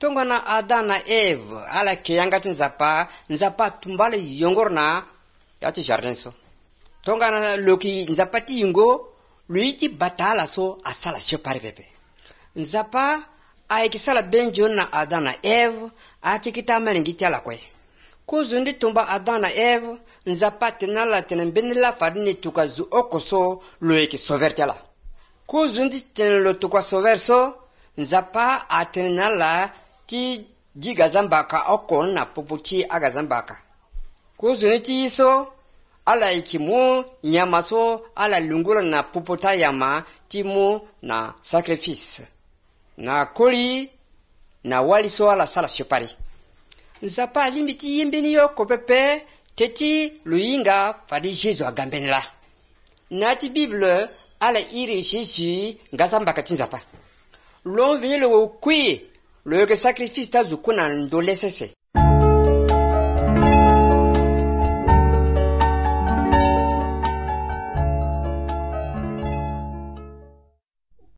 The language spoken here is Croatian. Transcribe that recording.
Tongana Adam na Eve ala kiyanga nzapa tumbale yongorna yati jardin so. Tongana loki nzapati yungo luiti batala so asala separe pepe. Nzapa aikisala benjon na Adam na Eve atikita melingiti ala kwe. Kuzundi tumba Adam na Eve nzapa tenala tenenbenila fadini tukazu okoso loeki sovertela. Kuzundi tenelo tukwa soverso nzapa atenala ti jigazambaka okon na poputi agazambaka. Kuzuniti iso ala ikimu nyamaso ala lungula na popota yama timu na sacrifice. Na koli na waliso ala sala shepari. Nzapa limiti yimbini yo kopepe teti luinga fadi Jesu agambenela. Nati Bible ala iri Jesu ngazambaka tinzapa. L'on vient le kui le sacrifice ta zukuna ndolesese.